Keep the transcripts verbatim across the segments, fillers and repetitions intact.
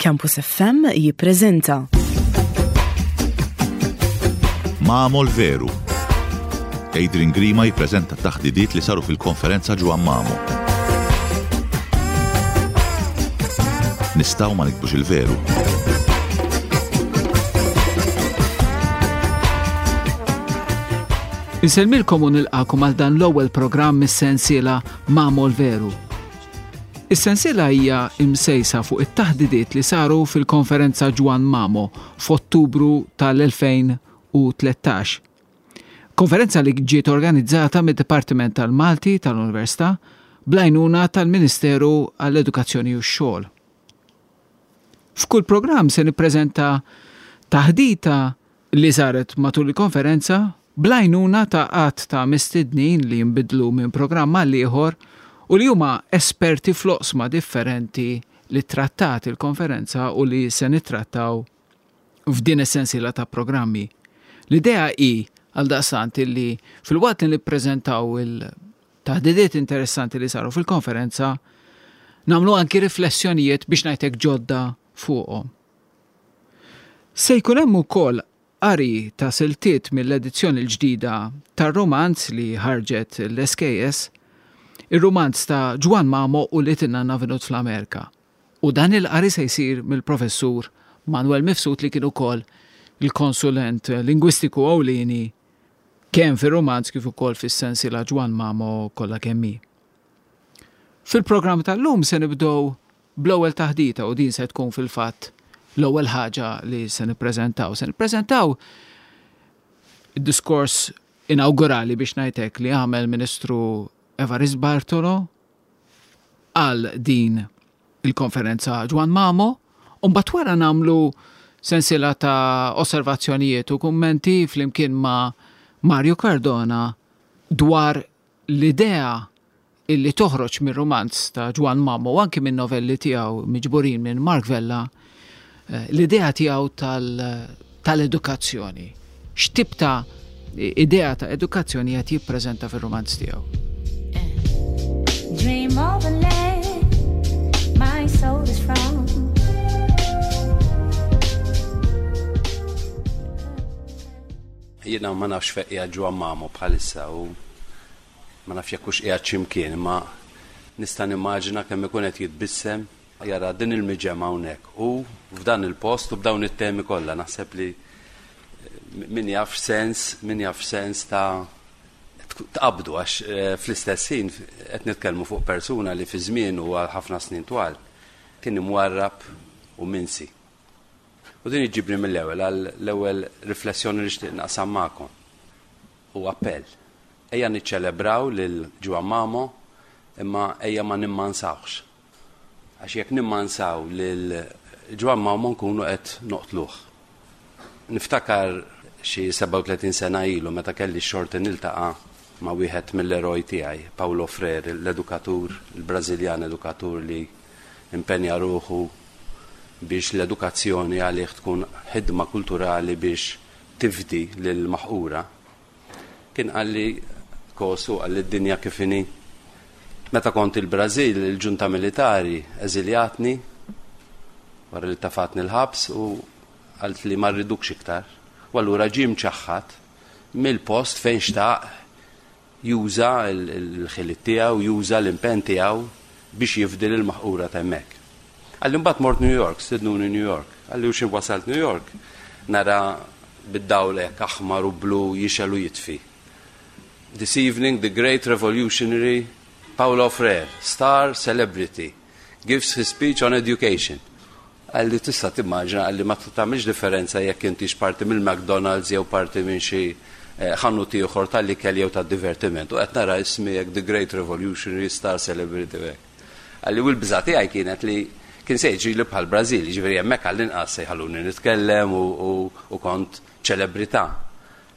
Campus F M jippreżenta Mamo l-Veru. Adrian Grima jippreżenta taħdidiet li saru fil-konferenza Ġwann Mamo. Nistgħu ma niktbux il-veru. Insellmilkom u nilqakom għal dan l-ewwel programm mis-sensiela Mamo l-Veru. Is-sensiela hija imsejsa fuq it-taħdidiet li saru fil-konferenza Ġwann Mamo f'Ottubru tal-elfejn u tlettax. Konferenza li ġiet organizzata mid-Dipartiment tal-Malti tal-Università bl-għajnuna tal-Ministeru għall-Edukazzjoni u x-Xogħol. F'kull programm se nippreżenta taħdita li saret matul il-konferenza bl-għajnuna ta' għadd ta' mistednin li jinbidlu minn programm għal ieħor u li huma esperti fl-oqsma differenti li trattat il-konferenza u li se nittrattaw f'din is-sensiela ta' programmi. L-idea hi għaldaqstant li filwaqt li nippreżentaw il-taħdidiet interessanti li saru fil-konferenza, nagħmlu anki riflessjonijiet biex ngħidlek ġodda fuqhom. Se jkun hemm ukoll qari ta' siltiet mill-edizzjoni l-ġdida tar-romanz li ħarġet l-S K S, ir-romanz ta' Ġwann Mamo u li Nanna Venut fl-Amerika. U dan il-qari se jsir mill-professur Manuel Mifsud, li kien ukoll il-konsulent lingwistiku ewlieni kemm fir-romanz kif ukoll fis-sensiela Ġwann Mamo kollha kemm hi. Fil-programm tal-lum se nibdew bl-ewwel taħdita u din se tkun fil-fatt l-ewwel ħaġa li se nippreżentaw. Se nippreżentaw id-diskors inaugurali, biex ngħidlek, li għamel Ministru Evarist Bartolo għal din il-konferenza Ġwann Mamo, u mbagħad wara nagħmlu sensiela ta' osservazzjonijiet u kummenti flimkien ma' Mario Cardona dwar l-idea illi toħroġ mir romanz ta' Ġwann Mamo u anki minn novelli tiegħu miġburin minn Mark Vella, eh, l-idea tiegħu tal-edukazzjoni. X'tip ta' idea ta' edukazzjoni qed jippreżenta fir-romanz tiegħu. Dream of a land my soul is from. Jiena ma nafx fejn qiegħed Ġwann Mamo bħalissa u ma nafx jekk hux qiegħed x'imkien, imma nista' nimmaġina kemm ikun qed jitbissem jara din il-miġemgħa hawnhekk u f'dan il-post u b'dawn it-temi kollha. Naħseb li min jaf sens, min jaf sens ta' tqabdu, għax eh, fl-istess ħin qed nitkellmu fuq persuna li fi żmien u għal ħafna snin twal kien imwarrab u minsi. U din iġibni mill-ewwel għal l-ewwel riflessjoni li xtieq naqsam magħkom. U appell. Ejja niċċelebraw lil Ġwann Mamo, imma ejja ma nimmansawx. Għax jekk nimmansaw lil Ġwann Mamo nkunu qed noqtluh. Niftakar xi sebgħa u tletin sena ilu meta kelli xorti niltaqa' ma' wieħed mill-eroj tiegħi, Paulo Freire, l-edukatur, il-Brażiljan edukatur li impenja ruħu biex l-edukazzjoni għalih tkun ħidma kulturali biex tifdi lil-maħqura. Kien qalli kosu qalli d-dinja kif inhi. Meta kont il-Brażil, il-ġunta militari eżiljatni wara li tafatni l-ħabs u qalt li ma rridukx iktar. U allura ġie mċaħħad mill-post fejn xtaq juża l-ħiliet tiegħu, juża l-impenn tiegħu biex jifdi l-maħqura ta' hemmhekk. Qalli mbagħad mort New York, stidnuni New York. Qalli u x'ħin wasalt New York, nara bid-dawl hekk aħmar u blu jixgħel u jitfi. "This evening the great revolutionary Paulo Freire, star celebrity, gives his speech on education." Qalli tista' timmaġina, qalli ma tagħmilx differenza jekk intix parti mill-McDonald's jew parti minn xi eh, ħanut ieħor tal-ikel jew tad-divertiment. U qed nara ismi hekk, "the great revolutionary star celebrity" hekk. Qalli u l-biża' tiegħi kienet li kien se jiġri li bħal Brażil, ġifieri hemmhekk għall-inqas se jħalluni nitkellem u, u, u kont ċelebrità.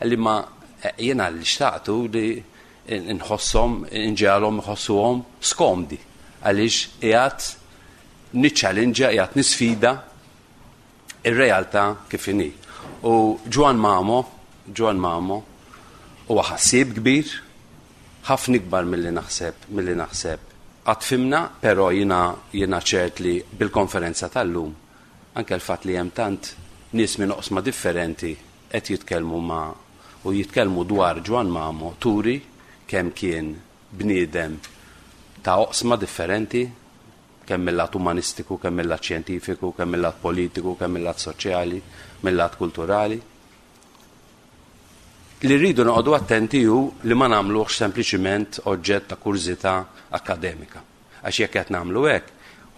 Qalli ma eh, jiena li xtaqtu li nħosshom, inġegħelhom iħossuhom skomdi għaliex qiegħed niċċallenġa, qiegħed nisfida ir-realtà kif inhi. U Ġwann Mamo, Ġwann Mamo huwa ħassieb kbir, ħafna ikbar milli naħseb, milli naħseb. Qatt fhimna, però jiena jiena ċert li bil-konferenza tal-lum Anke l-fatt li hemm tant nies minn oqsma differenti qed jitkellmu ma' u jitkellmu dwar Ġwann Mamo turi kemm kien bniedem ta' oqsma differenti, kemm mill-lat umanistiku, kemm mill-lat xjentifiku, kemm mill-lat politiku, kemm mill-lat soċjali, mill-lat kulturali. Li rridu noqogħdu attenti hu li ma nagħmluhx sempliċiment oġġett ta' kurżità akkademika. Għax jekk qed nagħmlu hekk,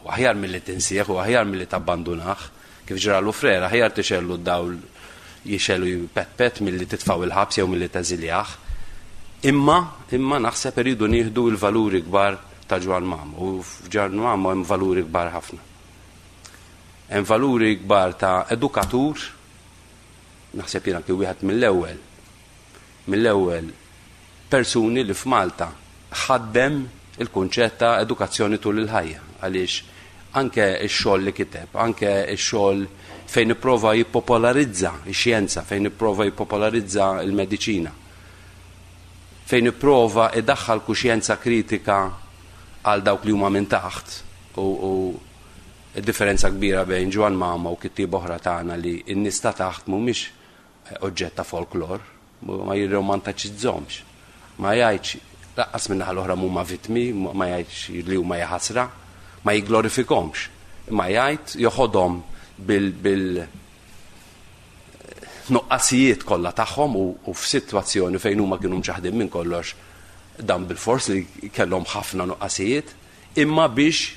u aħjar milli tinsieħ u aħjar milli tabbandunah, kif ġralu Frere, aħjar tixgħellu d-dawl jixgħelu jpetpet milli titfgħu il-ħabs jew milli teżiljah. Imma, imma naħseb irridu nieħdu l-valuri kbar ta' Ġwann Mamo, u f'Ġwann Mamo hemm valuri kbar ħafna. Hemm valuri kbar ta' edukatur, naħseb jien anki wieħed mill-ewwel, mill-ewwel persuni li f'Malta ħaddem il-kunċett ta' edukazzjoni tul il-ħajja, għaliex anke x-xogħol li kiteb, anke x-xogħol fejn ipprova jippopolarizza x-xjenza, fejn ipprova jippopolarizza l-mediċina, fejn ipprova idaħħal kuxjenza kritika għal dawk li huma minn taħt, u, u differenza kbira bejn Ġwann Mamo u kittieb oħra tagħna li n-nies ta' taħt mhumiex oġġett ta' folklor, ma jirromantiċizzhomx, ma jgħidx lanqas minn naħa l-oħra mhuma vittmi, ma jgħidx li huma jaħasra, ma jigglorifikhomx, imma jgħid joħodhom bil, bil nuqqasijiet kollha tagħhom u, u f'sitwazzjoni fejn huma kienu mċaħdin minn kollox, dan bil-fors li kellhom ħafna nuqqasijiet, imma biex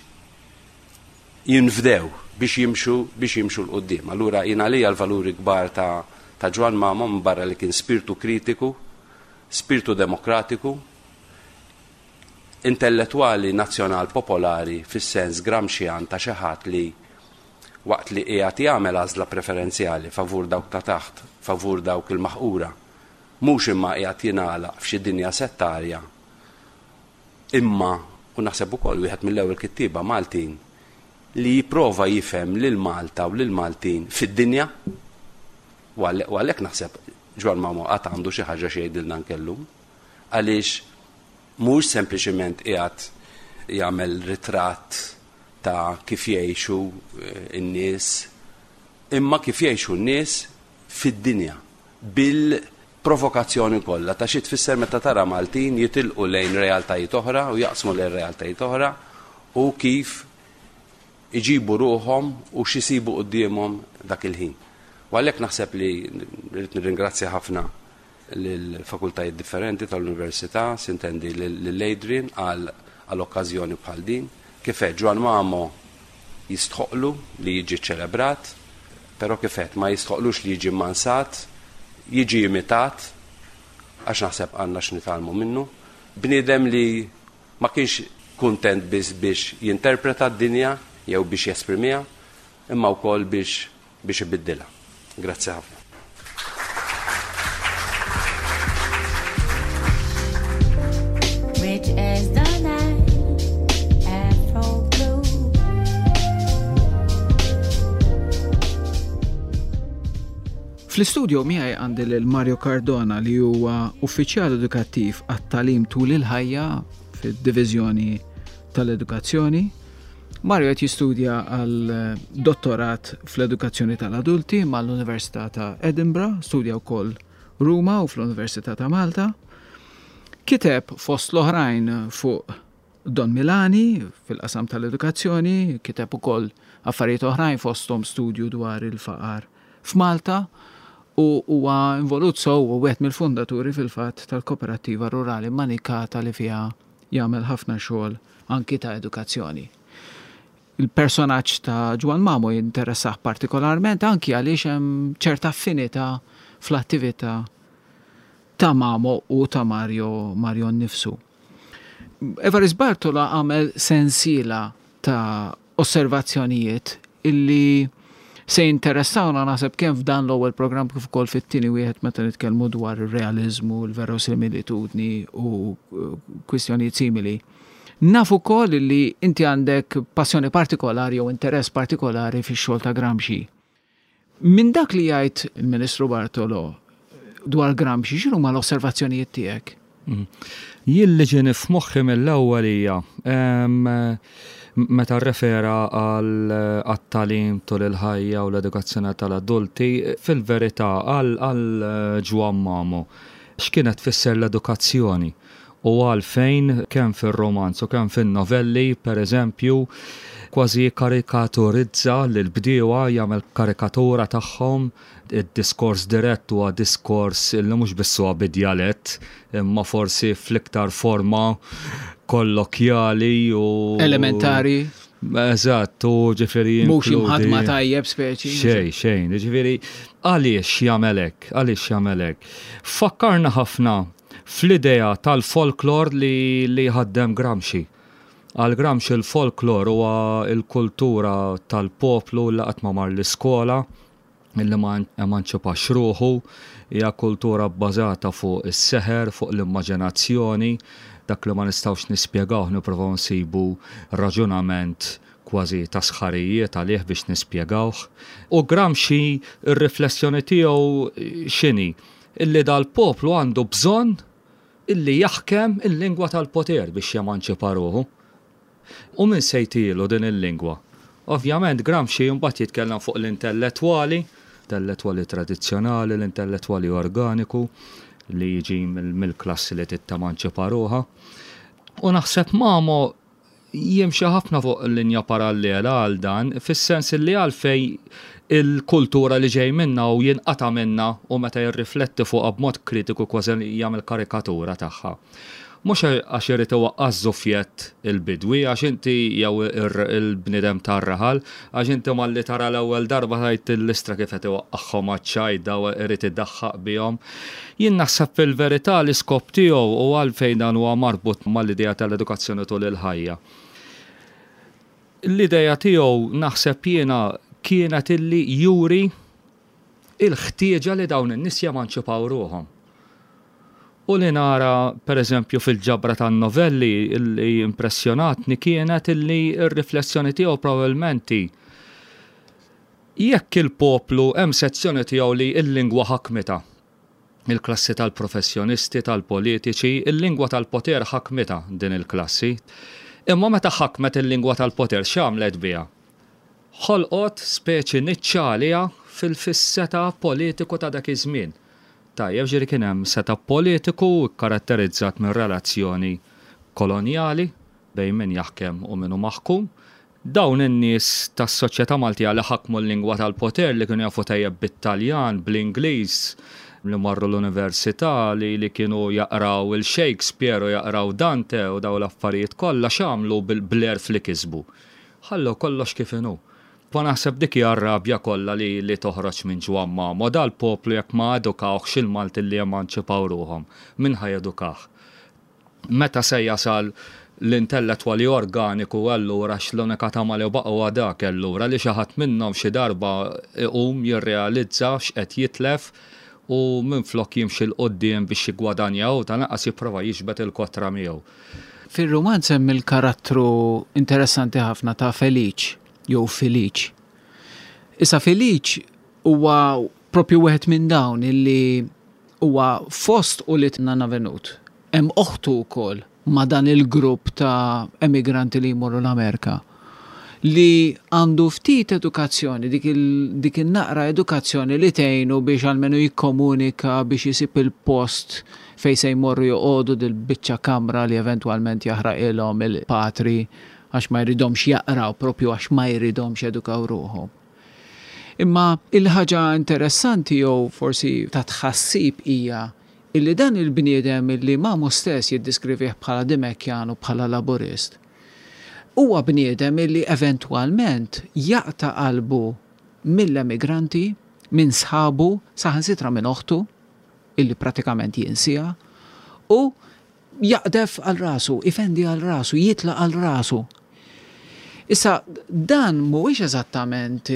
jinfdew, biex jimxu, biex jimxu 'l quddiem. Allura jien għalija l-valuri kbar ta', ta' Ġwann Mamo, minn barra li kien spiritu kritiku, spiritu demokratiku, intellettwali nazzjonal popolari fis-sens Gramscian ta' xi ħadd li waqt li qiegħed jagħmel għażla preferenzjali favur dawk ta' taħt, favur dawk il-maħqura, mhux imma qiegħed jingħalaq f'xi dinja settarja, imma, u naħseb ukoll wieħed mill-ewwel kittieba Maltin li jipprova jifhem lil Malta u lil Maltin fid-dinja, u għalhekk naħseb Ġwann Mamo qatt għandu xi ħaġa xi jgħidilna anke llum, għaliex mhux sempliċiment qiegħed jagħmel ritratt ta' kif jgħixu n-nies, imma kif jgħixu n-nies fid-dinja bil-provokazzjoni kollha ta' xi tfisser meta tara Maltin jitilqu lejn realtajiet oħra u jaqsmu lejn realtajiet oħra u kif iġibu ruħhom u x'isibu quddiemhom dak il-ħin. U għalhekk naħseb li rrid nirringrazzja ħafna lill-fakultajiet differenti tal-università, sintendi lil Adrian għal għall-okkażjoni bħal din. Kif għedt, Ġwann Mamo jistħoqlu li jiġi ċelebrat, però kif għedt ma jistħoqlux li jiġi mmansat, jiġi imitat, għax naħseb għandna x'nitgħallmu minnu. Bniedem li ma kienx kuntent biss biex jinterpreta d-dinja jew biex jesprimiha, imma wkoll biex, biex ibiddilha. Grazzi ħafna. Rich as the night, Afro blue. Fl-istudio miegħi għandi lil Mario Cardona li huwa uffiċjal edukattiv għat-tagħlim tul il-ħajja fid-diviżjoni tal-edukazzjoni. Mario qed jistudja għal dottorat fl-edukazzjoni tal-adulti mal-Università ta' Edinburgh, studja wkoll Ruma u fl-Università ta' Malta. Kiteb fost l-oħrajn fuq Don Milani fil-qasam tal-edukazzjoni, kiteb ukoll affarijiet oħrajn fosthom studju dwar il-faqar f'Malta u huwa involut sew u wieħed mill-fundaturi fil-fatt tal-Koperattiva Rurali Manikata li fiha jagħmel ħafna xogħol anki ta' edukazzjoni. Il-personaġġ ta' Ġwann Mamo jinteressah partikolarment anki għaliex hemm ċerta affinità fl-attività ta' Mamo u ta' Mario, Mario nnifsu. Evarist Bartolo għamel sensiela ta' osservazzjonijiet illi se jinteressawna naħseb kemm f'dan l-ewwel programm kif ukoll fit-tieni wieħed meta nitkellmu dwar ir-realiżmu, l-verosimilitudni u kwistjonijiet simili. Naf ukoll li inti għandek passjoni partikolari jew interess partikolari fix-xogħol ta' Gramsci. Minn dak li jgħid il-Ministru Bartolo dwar Gramsci, x'inhu ma l-osservazzjonijiet tiegħek? Mm. Jien li ġieni f'moħħi mill-ewwel hija, em, Meta rrefera għal tagħlim tul il-ħajja u l-edukazzjoni tal-adulti, fil-verità għal Ġwann Mamo, x'kienet tfisser l-edukazzjoni u għalfejn kemm fil-romanz u kemm fil-novelli, per eżempju, kważi karikaturizza l-bdiewa, jagħmel karikatura tagħhom, id-diskors dirett huwa diskors illi mhux biss huwa bid-djalett, imma forsi fl-iktar forma kollokjali u elementari. Eżatt, u ġifieri Mhux imħadma tajjeb speċi. Xejn, xejn, ġifieri għaliex jagħmel hekk, għaliex jagħmel hekk? Fakkarna ħafna fl-idea tal-folklor li, li ħaddem Gramsci. Għal Gramsci il-folklor huwa il-kultura tal-poplu li qatt ma mar l-iskola, illi ma emanċipax ruħu, hija kultura bbażata fuq is-seħer, fuq l-immaġinazzjoni, dak li ma nistgħux nispjegaw nipprovaw nsibu raġunament kważi ta' sħarijiet għalih biex nispjegawh. U Gramsci ir-riflessjoni tiegħu x'inhi? Illi dal-poplu għandu bżonn illi jaħkem il-lingwa tal-poter biex jemanċipa ruħu. U min se jtilu din il-lingwa? Ovvjament Gramsci mbagħad jitkellem fuq l-intellettwali, intellettwali tradizzjonali, l-intellettwali organiku li jiġi mill-klassi li tittemanċipa ruħha. U naħseb Mamo jimxi ħafna fuq linja parallela għal dan, fis-sens li għalfej il-kultura li ġej minna u jinqata minna u meta jirrifletti fuq b'mod kritiku kważi jagħmel karikatura tagħha. Mhux għax irid iwaqqa' żufjett il-bidwi, għax inti jew il-bniedem tar-raħal, għax inti malli tara l-ewwel darba tgħid l-istra kif qed iwaqqagħhom għaċ-ċajda u irid iddaħħaq bihom. Jien naħseb fil-verità l-iskop tiegħu u għalfejn dan huwa marbut mal-idea tal-edukazzjoni tul il-ħajja. L-idea tiegħu naħseb jiena kienet illi juri il-ħtieġa li dawn in-nies jemanċipaw ruħhom. U li nara, per eżempju, fil-ġabra tan-novelli li impressjonatni kienet illi r-riflessjoni tiegħu probabbilment jekk il-poplu hemm sezzjoni tiegħu li l-lingwa ħakmita, il-klassi tal-professjonisti, tal-politiċi, il-lingwa tal-poter ħakmita din il-klassi. Imma meta ħakmet il-lingwa tal-poter x'għamlet biha? Ħolqot speċi niċċa għaliha fil-fis-seta politiku ta' dak iż-żmien. Tajjeb, ġifieri kien hemm seta politiku karatterizzat minn relazzjoni kolonjali bejn min jaħkem u min hu maħkum. Dawn in-nies tas-soċjetà Maltija li ħakmu l-lingwa tal-poter, li kienu jafu tajjeb bit-Taljan, bl-Ingliż, li marru l-università, li, li kienu jaqraw il-Shakespeare u jaqraw Dante u daw l-affarijiet kollha, x'għamlu bil-għerf li kisbu? Ħallu kollox kif inhu. Pa naħseb dik hija r-rabja kollha li, li toħroġ minn Ġwann Mamo. Dal-poplu jekk ma edukawhx il-Malti li emanċipaw ruħhom, min ħa jedukah? Meta se jasal l-intellettwali organiku allura, x' l-unika tama li baqgħu dak allura li xi ħadd minnhom xi darba iqum jirrealizza x'qed jitlef u minflok jimxi 'l quddiem biex jiggwadanja u tal-anqas jipprova jiġbed il-kotra miegħu. Fil-romanz hemm il-karattru interessanti ħafna ta' Feliċ jew Feliċ. Issa Feliċ huwa propju wieħed minn dawn illi huwa fost u li Nanna Venut. Hemm oħtu wkoll ma' dan il-grupp ta' emigranti li jmorru l-Amerika li għandu ftit edukazzjoni, dik, il, dik il-naqra edukazzjoni li tgħinu biex almenu jikkomunika biex jisib il-post fej se jmorru joqogħdu, dil-biċċa kamra li eventwalment jaħraqilhom il-patri għax ma jridomx jaqraw, propju għax ma jridomx edukaw ruħhom. Imma il-ħaġa interessanti jew forsi ta' tħassib hija illi dan il-bniedem illi Mamo stess jiddiskrivih bħala Dimekjan u bħala laburist, huwa bniedem illi eventwalment jaqta' qalbu mill-emigranti, minn sħabu, saħansitra minn oħtu, illi pratikament jinsija, u jaqdef għal rasu, ifendi għal rasu, jitlaq għal rasu. Issa, dan mhuwiex eżattament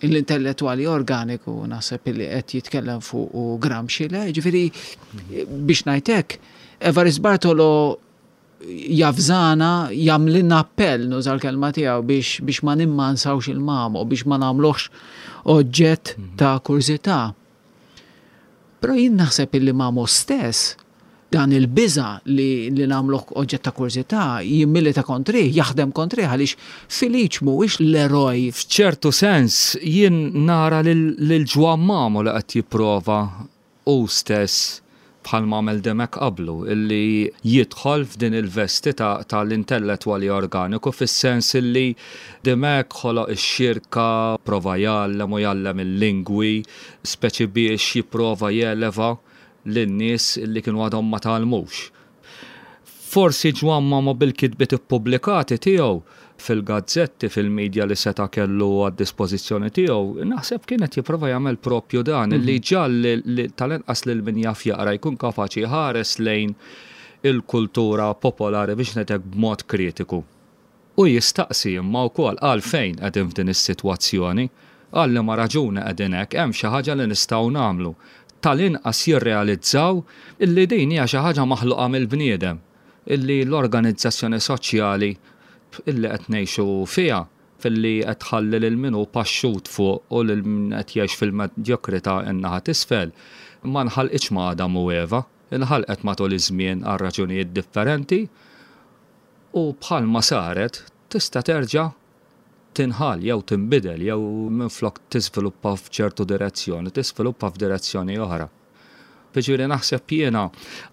l-intellettuali organiku naħseb li qed jitkellem fuq u Gramsci, le, ġifieri biex ngħidlek, Evarist Bartolo javżana, jagħmlilna appell, nuża l-kelma tiegħu, biex, biex ma nimmansawx il-Mamo, biex ma nagħmluhx oġġett ta' kurżità. Però jien naħseb illi Mamo stess Dan il-biża li, li nagħmluh oġġett ta' kurżità jimmilita kontrih, jaħdem kontrih għaliex Feliċ mhuwiex l-eroj. F'ċertu sens jien nara lil Ġwann Mamo li qed jipprova hu stess, bħal għamel Dimech qablu, illi jidħol f'din il-vesti tal-intellettwali organiku, fis-sens illi Dimech ħoloq ix-xirka, prova jgħallem u jgħallem il-lingwi, speċi biex jipprova jeleva lin-nies illi kienu għadhom ma tgħallmux. Forsi Ġwann Mamo bil-kitbiet ippubblikati tiegħu fil-gazzetti, fil-medja li seta' kellu għad-dispożizzjoni tiegħu, naħseb kienet jipprova jagħmel propju dan, li ġall tal-inqas lil min jaf jaqra jkun kapaċi ħares lejn il-kultura popolari, biex ngħidlek, b'mod kritiku. U jistaqsi imma wkoll għalfejn qegħdin f'din is-sitwazzjoni, għal liema raġuni qegħdin hekk, hemm xi ħaġa li nistgħu nagħmlu. Tal-inqas jirrealizzaw illi din hija xi ħaġa maħluqa mill-bniedem, illi l-organizzazzjoni soċjali illi qed ngħixu fiha, filli qed tħalli lil min hu paxxut fuq u lil min qed jgħix fil-medjokrità in-naħa t'isfel, ma nħalqitx ma' Adam u Eva, inħalqet matul iż-żmien għal raġunijiet differenti u bħalma saret tista' terġa' tinħall jew tinbidel jew minflok tiżviluppa f'ċertu direzzjoni, tiżviluppa f'direzzjoni oħra. Jiġifieri naħseb jiena,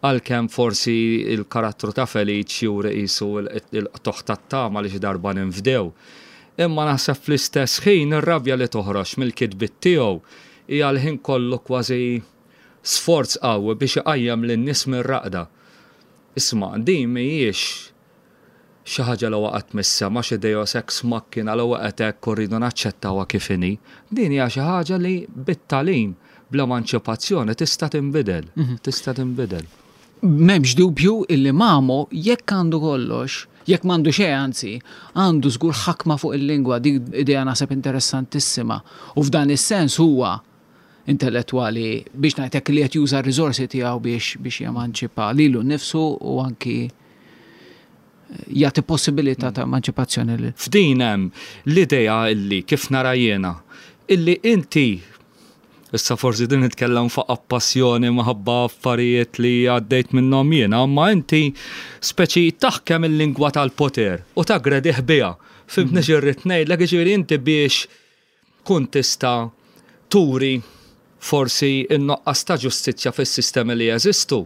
għalkemm forsi il-karattru ta' Feliċ juri qisu il-qtugħ tat-tama li xi darba ninfdew, imma naħseb fl-istess ħin ir-rabja li toħroġ mill-kitbiet tiegħu hija l-ħin kollu kważi sforz qawwi biex iqajjem lin-nies mir-raqda. Isma', din mhijiex xi ħaġa li waqgħet mis-sema, xi deus ex machina li waqgħet hekk u rridu naċċettawha kif inhi. Din hija xi ħaġa li bit-tagħlim, bl-emanċipazzjoni tista' tinbidel, tista' tinbidel. M'hemmx dubju illi Mamo, jekk għandu kollox, jekk m'għandu xejn anzi, għandu żgur ħakma fuq il-lingwa. Dik idea naħseb interessantissima. U f'dan is-sens huwa intellettwali, biex ngħidlek, li qed juża r-riżorsi tiegħu biex biex jemanċipa lilu nnifsu u anki jagħti possibilità ta' emanċipazzjoni lil F'din hemm l-idea illi kif nara jiena illi inti, issa forsi din nitkellem fuq passjoni minħabba affarijiet li għaddejt minnhom jiena, imma inti speċi taħkem il-lingwa tal-poter u tagredih biha. Fhimtni x'irrid ngħidlek? Jiġifieri inti biex kun tista' turi forsi in-nuqqas ta' ġustizzja fis-sistemi li jeżistu,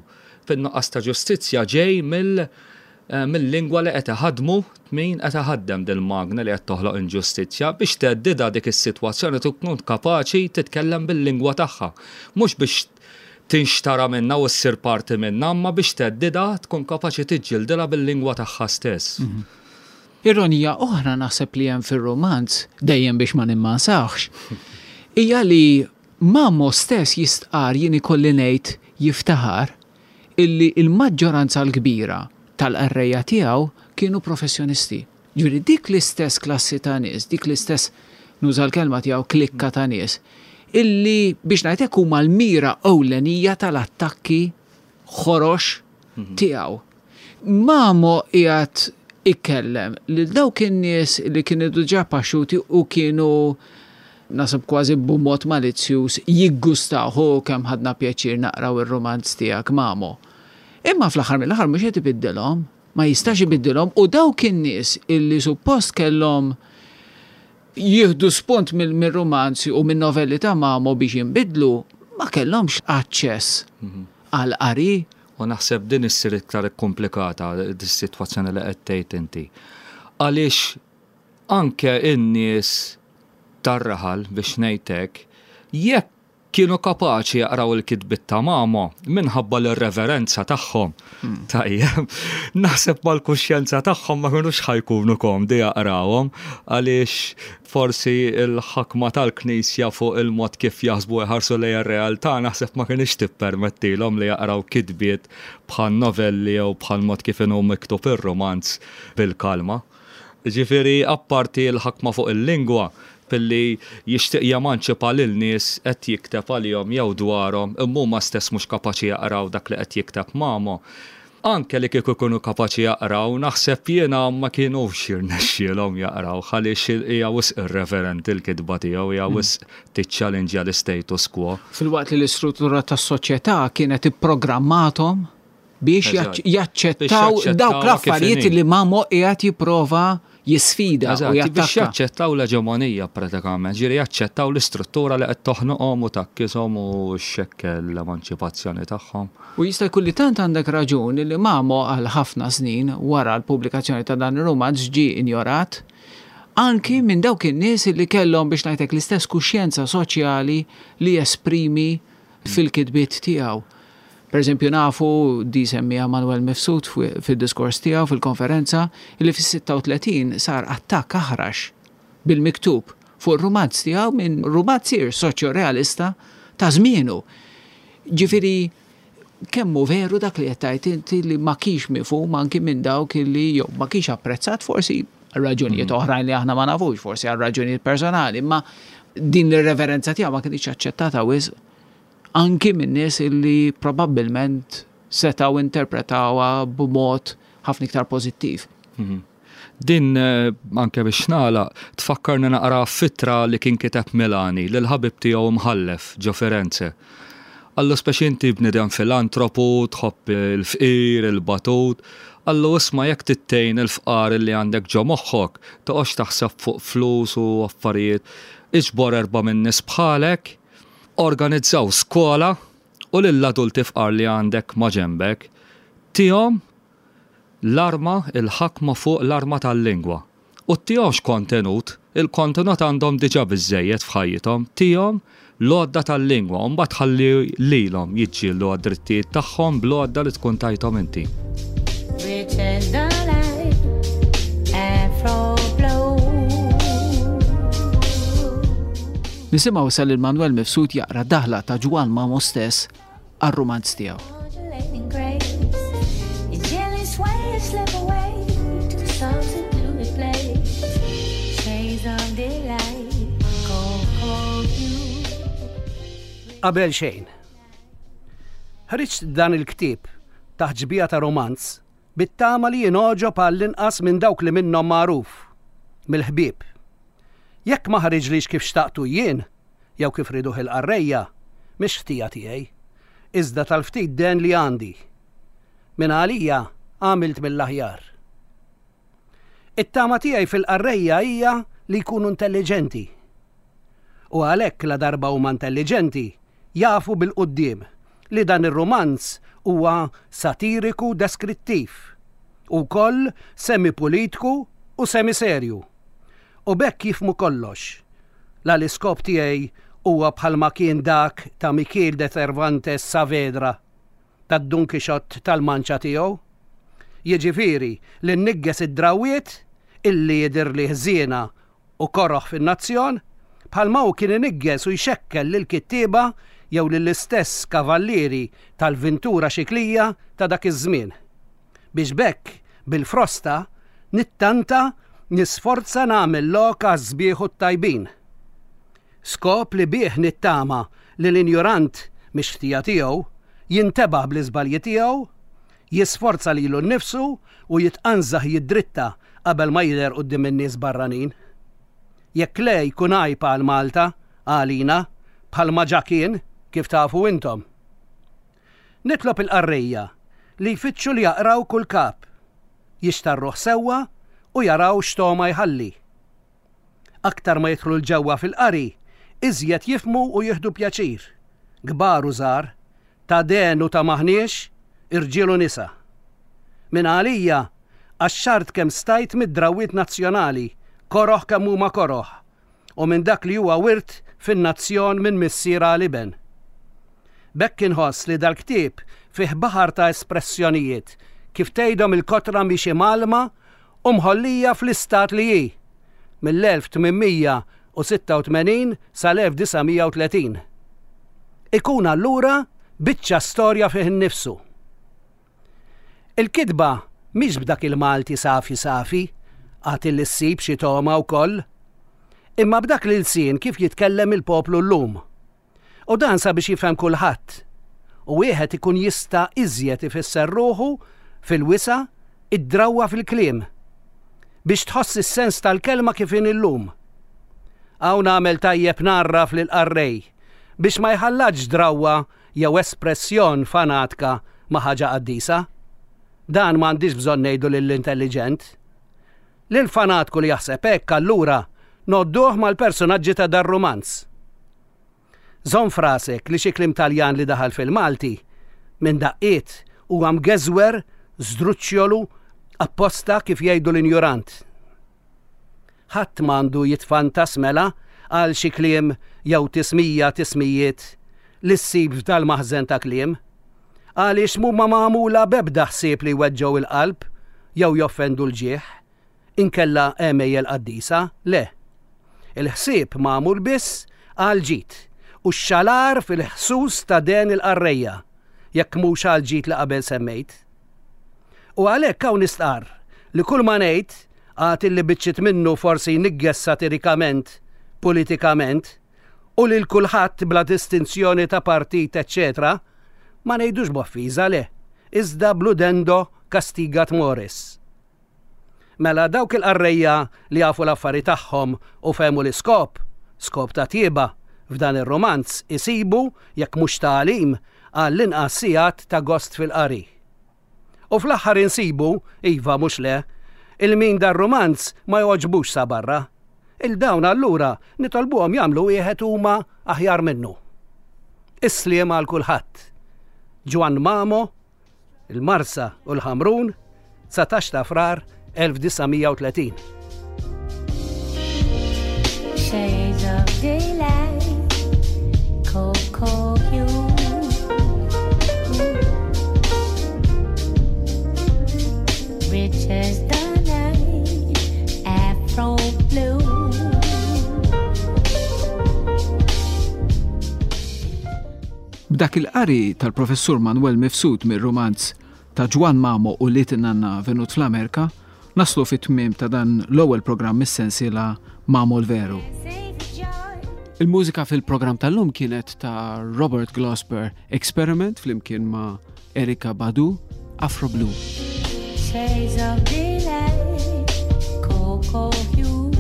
fin-nuqqas ta' ġustizzja ġej mill eh, mill-lingwa li qed iħaddmu min qed iħaddem dil-magna li qed toħloq inġustizzja. Biex theddidha dik is-sitwazzjoni tkun kapaċi titkellem bil-lingwa tagħha. Mhux biex tinxtara minna u ssir parti minna, imma biex theddidha tkun kapaċi tiġġildilha bil-lingwa tagħha stess. Ironija oħra naħseb li hemm fir-romanz, dejjem biex ma nimmansaħx, hija li Mamo stess jistqar, jien ikolli ngħid jiftaħar, illi il-maġġoranza l-kbira tal-qarrejja tiegħu kienu professjonisti. Ġifieri dik l-istess klassi ta' nies, dik l-istess, nuża l-kelma tiegħu, klikka ta' nies, illi biex ngħidlek huma l-mira ewlenija tal-attakki ħorox tiegħu. Mamo qiegħed ikellem lil dawk in-nies li kienu diġà paxxuti u kienu naħseb kważi b'mod malizzjuż jiggustaw, "Hu kemm ħadna pjaċir naqraw ir-romanz tiegħek, Mamo." Imma fl-aħħar mill-aħħar mhux qed ibiddilhom, ma jistax ibiddilhom, u dawk in-nies illi suppost kellhom jieħdu spunt mill-romanzi u minn novelli ta' Mamo biex jinbidlu, ma kellhomx aċċess għal qari. U naħseb din issir iktar komplikata dis-sitwazzjoni li qed tgħid inti. Għaliex anke in-nies tar-raħal, biex ngħidlek, jekk kienu kapaċi jaqraw il-kitbiet ta' Mamo minħabba l-reverenza tagħhom. Tajjeb, naħseb mal-kuxjenza tagħhom ma kinux ħa jkunu komdi jaqrawhom, għaliex forsi il-ħakma tal-Knisja fuq il-mod kif jaħsbu, jħarsu lejn ir-realtà, naħseb ma kienx tippermettilhom li jaqraw kitbiet bħal novelli jew bħal mod kif inhu miktub ir-romanz bil-kalma. Ġifieri, apparti l-ħakma fuq il-lingwa, billi jixtieq jemanċipa lil nies qed jikteb għalihom jew dwarhom, imma huma stess mhux kapaċi jaqraw dak li qed jikteb Mamo. Anke li kieku jkunu kapaċi jaqraw, naħseb jiena ma kienux jirnexxielhom jaqraw, għaliex hija wisq irreverenti l-kitba tiegħu, hija wisq tiċċallenġja l-status quo. Filwaqt li l-istruttura tas-soċjetà kienet ipprogrammathom Biex jaċċettaw dawk l-affarijiet li Mamo qiegħed jipprova jisfida u jattakka. Biex jaċċettaw l-eġemonija pratikament, ġifieri jaċċettaw l-istruttura li qed toħnoqhom u tgħakkishom u xxekkel l-emanċipazzjoni tagħhom. U jista' jkun li tant għandek raġun li Mamo għal ħafna snin wara l-pubblikazzjoni ta' dan ir-rumanz ġie injorat anki minn dawk in-nies li kellhom, biex ngħidlek, l-istess kuxjenza soċjali li jesprimi fil-kitbiet tiegħu. Per eżempju, nafu di semmija Manuel Mifsud fil-diskors tiegħu fil-konferenza li fis-sitta u tletin sar attakk aħrax bil-miktub fuq rumanz tiegħu minn rumanzier soċjo-realista ta' żmienu. Ġifieri kemm hu veru dak li qed tgħid inti li ma kienx mifhum anki minn dawk li jew ma kienx apprezzat, forsi għal raġunijiet mm. oħrajn li aħna ma nafux, forsi għal raġunijiet personali, imma din l-reverenza tiegħu ma kienx aċċettata wisq anki minn nies illi probabbilment setgħu interpretawha b'mod ħafna iktar pożittiv. Mhm. Din eh, anke biex nagħlaq, tfakkarni naqra f'ittra li kien kiteb Milani lil ħabib tiegħu mħallef ġo Firenze. Qallu, speċi, inti bnidem filantropu, tħobb il-fqir, il-batut. Qallu, isma', jekk trid tgħin il-fqar li għandek ġo moħħok, toqgħodx taħseb fuq flus u affarijiet. Iġbor erba' minn nies bħalek, organizzaw skola u lill-adulti fqar li għandek ma ġembek, tihom l-arma, il-ħakma fuq l-arma tal-lingwa. U ttihomx kontenut, il-kontenut għandhom diġà biżżejjed f'ħajjithom, tihom l-għodda tal-lingwa, u mbagħad ħalli lilhom jiġġieldu għad-drittijiet tagħhom bl-għodda li tkun tajthom inti. Rich as the light, Afro blow. Nisimgħu issa lil Manuel Mifsud jaqra daħla ta' Ġwann Mamo stess għar-rumanz tiegħu. Modulating grace. Your gently sway, slip away to something to replace. Shades of delight, cocoa you. Qabel xejn. Ħriġt dan il-ktieb taħt xbieha ta' romanz bit-tama li jingħoġob għall-inqas minn dawk li minnhom magħruf, mill-ħbieb. Jekk ma ħariġlix kif xtaqtu jien, jew kif riduh il-qarrejja, mhix ħtija tiegħi, iżda tal-ftit dehen li għandi. Min għalija għamilt mill-aħjar. It-tama tiegħi fil-qarrejja hija li jkunu intelligenti. U għalhekk, la darba huma intelligenti, jafu bil-quddiem li dan ir-romanz huwa satiriku deskrittiv u koll semi-politiku u semi-serju. U b'hekk jifhmu kollox. La l-iskop tiegħi huwa bħalma kien dak ta' Miguel de Cervantes Saavedra, tad Don Quixote tal-Manċa tiegħu. Jiġifieri li nniggeż id-drawiet illi jidir li ħżiena u koroħ fin-nazzjon, bħalma hu kien iniggeż u jxekkel lil kittieba jew lill-istess kavallieri tal-ventura xiklija ta' dak iż-żmien. Biex b'hekk bil-frosta nittanta nisforza nagħmel lok għaż-sbieħ u t-tajbin. Skop li bih nittama li l-injurant, mhix ħtija tiegħu, jintebaħ bl-iżbalji tiegħu, jisforza lilu nnifsu u jitqanżaħ jiddritta qabel ma jidher quddiem in-nies barranin. Jekk le, jkun għajb għal Malta, għalina, bħalma ġa kien, kif tafu intom. Nitlob il-qarrejja li jfittxu li jaqraw kull kap, jixtarruh sewwa u jaraw x'togħma jħalli. Aktar ma jidħlu 'l ġewwa fil-qari, iżjed jifhmu u jieħdu pjaċir. Kbar u żgħar, ta' dehen u ta' m'aħniex, irġiel u nisa. Min għalija, qaxxart kemm stajt mid-drawiet nazzjonali, koroħ kemm huma koroħ, u minn dak li huwa wirt fin-nazzjon minn missier għal iben. B'hekk inħoss li dal-ktieb fih baħar ta' espressjonijiet kif tgħidhom il-kotra mhix imgħallma u mħollija fl-istat li hi mill-elf tmien mija u sitta u tmenin sal-elf disa' mija u tletin. Ikun allura biċċa storja fih innifsu. Il-kitba mhix b'dak il-Malti safi safi, għad li ssib xi togħma wkoll, imma b'dak l-ilsien kif jitkellem il-poplu llum. U dan sabiex jifhem kulħadd. U wieħed ikun jista' iżjed ifisser ruħu fil-wisa' id-drawwa fil-kliem biex tħoss is-sens tal-kelma kif in illum. Hawn nagħmel tajjeb ngħarraf lil qarrej biex ma jħallatx drawwa jew espressjon fanatka ma' ħaġa qaddisa. Dan m'għandix bżonn ngħidu lill-intelliġent. Lil fanatku li jaħseb hekk allura ngħodduh mal-personaġġi ta' dar-rumanz. Żomm f'rasek li xi kliem Taljan li daħal fil-Malti minn daqqiet huwa mgeżwer, żdruċċjolu, apposta kif jgħidu l-injurant. Ħadd m'għandu jitfantas mela għal xi kliem jew tismija tismijiet li ssib f'dal-maħżen ta' kliem. Għaliex mhuma magħmula b'ebda ħsieb li jweġġgħu il-qalb jew joffendu l-ġieħ, inkella għemejjel qaddisa, le. Il-ħsieb magħmul biss għal ġid u x-xalar fil-ħsus ta' den il-qarrejja, jekk mhux għal ġid li qabel semmejt. U għalhekk hawn nistqarr li kull ma ngħid għad illi biċċiet minnu forsi jnigges satirikament, politikament, u lil kulħadd bla distinzjoni ta' partit, eċċetera, ma ngħidux b'offiża le, iżda bl-udendo castigat mores. Mela dawk il-qarrejja li jafu l-affari tagħhom u fehmu l-iskop, skop ta' tjieba, f'dan ir-romanz isibu, jekk mhux tagħlim, għall-inqas sigħat ta' gost fil-qari. U fl-aħħar insibu, iva mhux le, il-min dar-romanz ma jogħġbux sa barra. Il-dawn allura nitolbuhom jagħmlu wieħed huma aħjar minnu. Is-sliem għal kulħadd. Ġwann Mamo, il-Marsa u l-Ħamrun, dsatax ta' Frar elf disa' mija u tletin. Shades of daylight, cocoa hue. Rich as the night, afro blue. B'dak il-qari tal-professur Manuel Mifsud mir-romanz ta' Ġwann Mamo u Lit Nanna Venut fl-Amerika, naslu fit-tmiem ta' dan l-ewwel programm mis-sensiela Mamo l-Veru. Il-mużika fil-programm tal-lum kienet ta' Robert Glasper Experiment flimkien ma' Erykah Badu, Afro Blue. Shades of daylight, cocoa hue.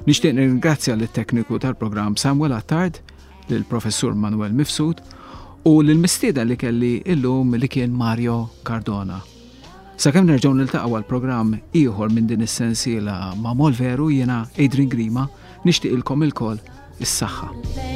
Nixtieq nirringrazzja lit-tekniku tal-programm Samuel Attard, lill-professur Manuel Mifsud u lill-mistieden li kelli illum li kien Mario Cardona. Sakemm nerġgħu niltaqgħu għal programm ieħor minn din is-sensiela ma' Molveru, jiena Adrian Grima, nixtieqilkom ilkoll is-saħħa.